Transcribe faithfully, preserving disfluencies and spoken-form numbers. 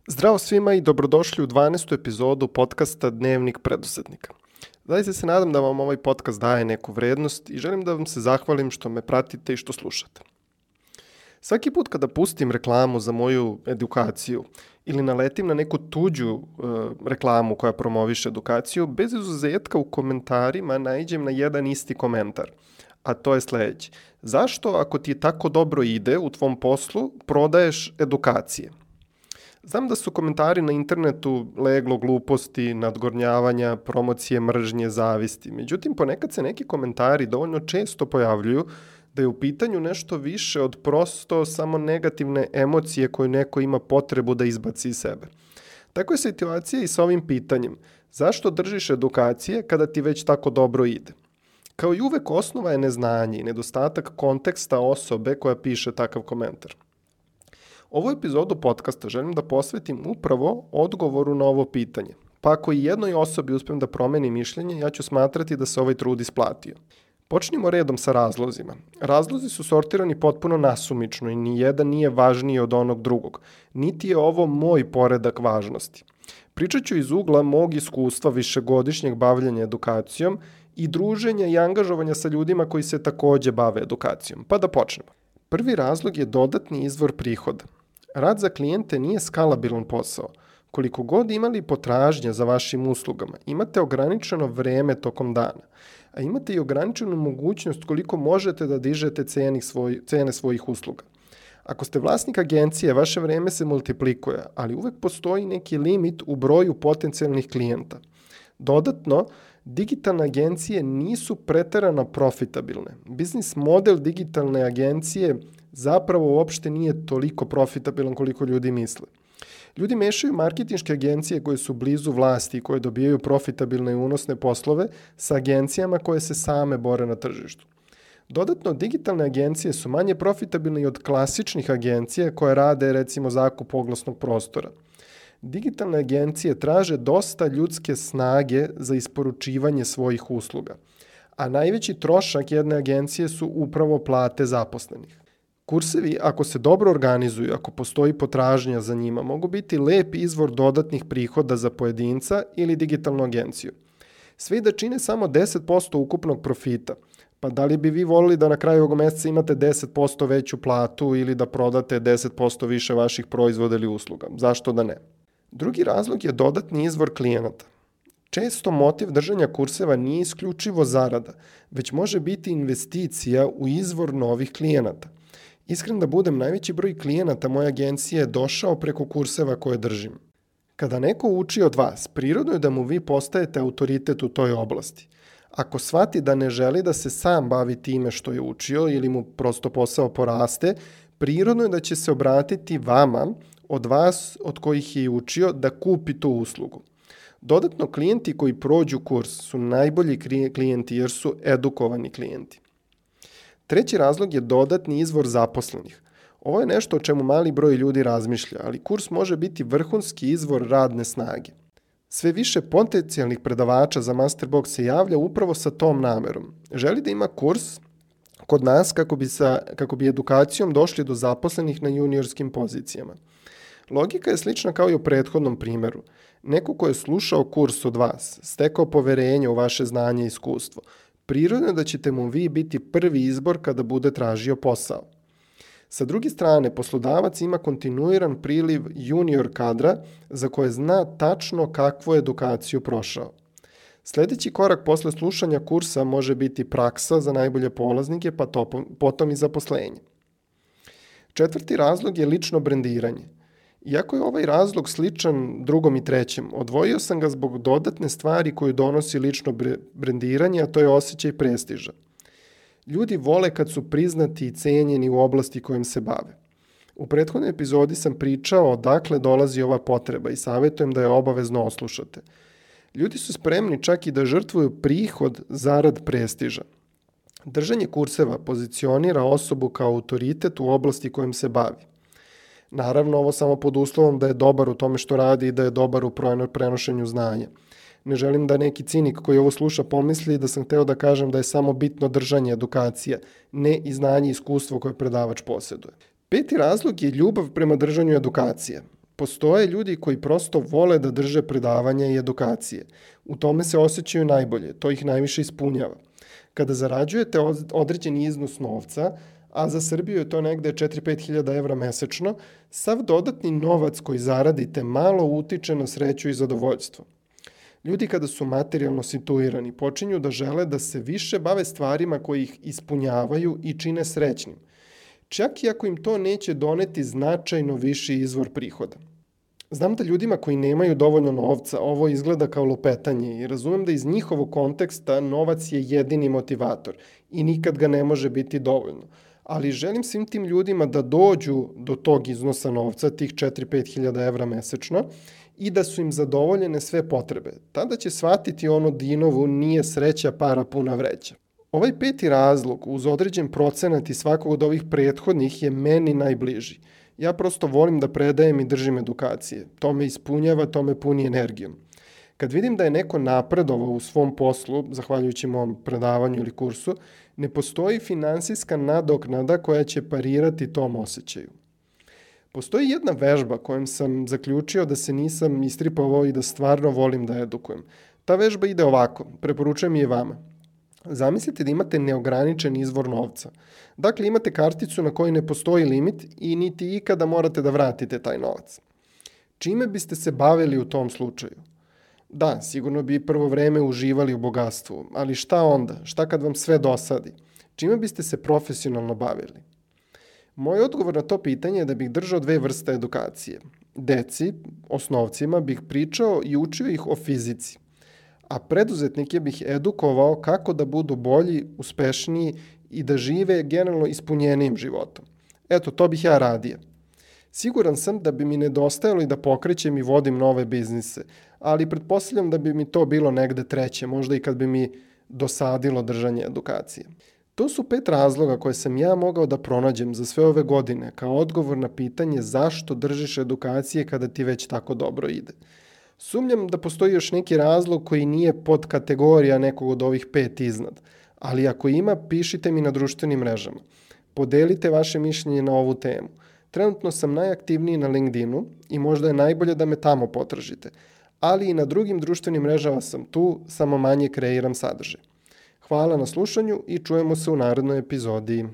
Zdravo svima i dobrodošli u dvanaestu epizodu podcasta Dnevnik preduzetnika. Zaista se nadam da vam ovaj podcast daje neku vrednost i želim da vam se zahvalim što me pratite i što slušate. Svaki put kada pustim reklamu za moju edukaciju ili naletim na neku tuđu e, reklamu koja promoviše edukaciju, bez izuzetka u komentarima naiđem na jedan isti komentar, a to je sledeći. Zašto, ako ti tako dobro ide u tvom poslu, prodaješ edukacije? Znam da su komentari na internetu leglo gluposti, nadgornjavanja, promocije mržnje, zavisti. Međutim, ponekad se neki komentari dovoljno često pojavljuju da je u pitanju nešto više od prosto samo negativne emocije koje neko ima potrebu da izbaci iz sebe. Tako je situacija i sa ovim pitanjem. Zašto držiš edukacije kada ti već tako dobro ide? Kao i uvek, osnova je neznanje i nedostatak konteksta osobe koja piše takav komentar. Ovu epizodu podcasta želim da posvetim upravo odgovoru na ovo pitanje. Pa ako i jednoj osobi uspem da promeni mišljenje, ja ću smatrati da se ovaj trud isplatio. Počnimo redom sa razlozima. Razlozi su sortirani potpuno nasumično i ni jedan nije važniji od onog drugog. Niti je ovo moj poredak važnosti. Pričat ću iz ugla mog iskustva višegodišnjeg bavljanja edukacijom i druženja i angažovanja sa ljudima koji se takođe bave edukacijom. Pa da počnemo. Prvi razlog je dodatni izvor prihoda. Rad za klijente nije skalabilan posao. Koliko god imali potražnje za vašim uslugama, imate ograničeno vreme tokom dana, a imate i ograničenu mogućnost koliko možete da dižete ceni svoj, cene svojih usluga. Ako ste vlasnik agencije, vaše vreme se multiplikuje, ali uvek postoji neki limit u broju potencijalnih klijenta. Dodatno, digitalne agencije nisu preterano profitabilne. Biznis model digitalne agencije zapravo uopšte nije toliko profitabilan koliko ljudi misle. Ljudi mešaju marketinške agencije koje su blizu vlasti i koje dobijaju profitabilne i unosne poslove sa agencijama koje se same bore na tržištu. Dodatno, digitalne agencije su manje profitabilne i od klasičnih agencija koje rade recimo zakup oglasnog prostora. Digitalne agencije traže dosta ljudske snage za isporučivanje svojih usluga, a najveći trošak jedne agencije su upravo plate zaposlenih. Kursevi, ako se dobro organizuju, ako postoji potražnja za njima, mogu biti lep izvor dodatnih prihoda za pojedinca ili digitalnu agenciju. Sve i da čine samo deset posto ukupnog profita, pa da li bi vi volili da na kraju ovog meseca imate deset posto veću platu ili da prodate deset posto više vaših proizvoda ili usluga? Zašto da ne? Drugi razlog je dodatni izvor klijenata. Često motiv držanja kurseva nije isključivo zarada, već može biti investicija u izvor novih klijenata. Iskren da budem, najveći broj klijenata moje agencije je došao preko kurseva koje držim. Kada neko uči od vas, prirodno je da mu vi postajete autoritet u toj oblasti. Ako shvati da ne želi da se sam bavi time što je učio ili mu prosto posao poraste, prirodno je da će se obratiti vama, od vas od kojih je učio, da kupi tu uslugu. Dodatno, klijenti koji prođu kurs su najbolji klijenti jer su edukovani klijenti. Treći razlog je dodatni izvor zaposlenih. Ovo je nešto o čemu mali broj ljudi razmišlja, ali kurs može biti vrhunski izvor radne snage. Sve više potencijalnih predavača za Masterbox se javlja upravo sa tom namerom. Želi da ima kurs kod nas kako bi, sa, kako bi edukacijom došli do zaposlenih na juniorskim pozicijama. Logika je slična kao i u prethodnom primjeru. Neko ko je slušao kurs od vas, stekao poverenje u vaše znanje i iskustvo, prirodno je da ćete mu vi biti prvi izbor kada bude tražio posao. Sa druge strane, poslodavac ima kontinuiran priliv junior kadra za koje zna tačno kakvu edukaciju prošao. Sljedeći korak posle slušanja kursa može biti praksa za najbolje polaznike, pa to, potom i zaposlenje. Četvrti razlog je lično brendiranje. Iako je ovaj razlog sličan drugom i trećem, odvojio sam ga zbog dodatne stvari koju donosi lično brendiranje, a to je osjećaj prestiža. Ljudi vole kad su priznati i cenjeni u oblasti kojim se bave. U prethodnoj epizodi sam pričao odakle dolazi ova potreba i savjetujem da je obavezno oslušate. Ljudi su spremni čak i da žrtvuju prihod zarad prestiža. Držanje kurseva pozicionira osobu kao autoritet u oblasti kojim se bavi. Naravno, ovo samo pod uslovom da je dobar u tome što radi i da je dobar u prenošenju znanja. Ne želim da neki cinik koji ovo sluša pomisli da sam hteo da kažem da je samo bitno držanje edukacije, ne i znanje i iskustvo koje predavač posjeduje. Peti razlog je ljubav prema držanju edukacije. Postoje ljudi koji prosto vole da drže predavanja i edukacije. U tome se osjećaju najbolje, to ih najviše ispunjava. Kada zarađujete određeni iznos novca, a za Srbiju je to negde četiri do pet hiljada evra mesečno, sav dodatni novac koji zaradite malo utiče na sreću i zadovoljstvo. Ljudi kada su materijalno situirani počinju da žele da se više bave stvarima koji ih ispunjavaju i čine srećnim, čak i ako im to neće doneti značajno viši izvor prihoda. Znam da ljudima koji nemaju dovoljno novca ovo izgleda kao lupetanje i razumem da iz njihovog konteksta novac je jedini motivator i nikad ga ne može biti dovoljno. Ali želim svim tim ljudima da dođu do tog iznosa novca, tih četiri do pet hiljada evra mesečno, i da su im zadovoljene sve potrebe. Tada će shvatiti ono Dinovu nije sreća para puna vreća. Ovaj peti razlog uz određen procenat i svakog od ovih prethodnih je meni najbliži. Ja prosto volim da predajem i držim edukacije. To me ispunjava, to me puni energijom. Kad vidim da je neko napredovao u svom poslu, zahvaljujući mom predavanju ili kursu, ne postoji finansijska nadoknada koja će parirati tom osjećaju. Postoji jedna vežba kojom sam zaključio da se nisam istripovao i da stvarno volim da edukujem. Ta vežba ide ovako, preporučujem je vama. Zamislite da imate neograničen izvor novca. Dakle, imate karticu na kojoj ne postoji limit i niti ikada morate da vratite taj novac. Čime biste se bavili u tom slučaju? Da, sigurno bi prvo vreme uživali u bogatstvu, ali šta onda? Šta kad vam sve dosadi? Čime biste se profesionalno bavili? Moj odgovor na to pitanje je da bih držao dve vrste edukacije. Deci, osnovcima, bih pričao i učio ih o fizici, a preduzetnike bih edukovao kako da budu bolji, uspešniji i da žive generalno ispunjenijim životom. Eto, to bih ja radio. Siguran sam da bi mi nedostajalo i da pokrećem i vodim nove biznise, ali pretpostavljam da bi mi to bilo negde treće, možda i kad bi mi dosadilo držanje edukacije. To su pet razloga koje sam ja mogao da pronađem za sve ove godine kao odgovor na pitanje zašto držiš edukacije kada ti već tako dobro ide. Sumnjam da postoji još neki razlog koji nije pod kategorija nekog od ovih pet iznad, ali ako ima, pišite mi na društvenim mrežama. Podelite vaše mišljenje na ovu temu. Trenutno sam najaktivniji na LinkedInu i možda je najbolje da me tamo potražite, ali i na drugim društvenim mrežama sam tu, samo manje kreiram sadržaj. Hvala na slušanju i čujemo se u narednoj epizodi.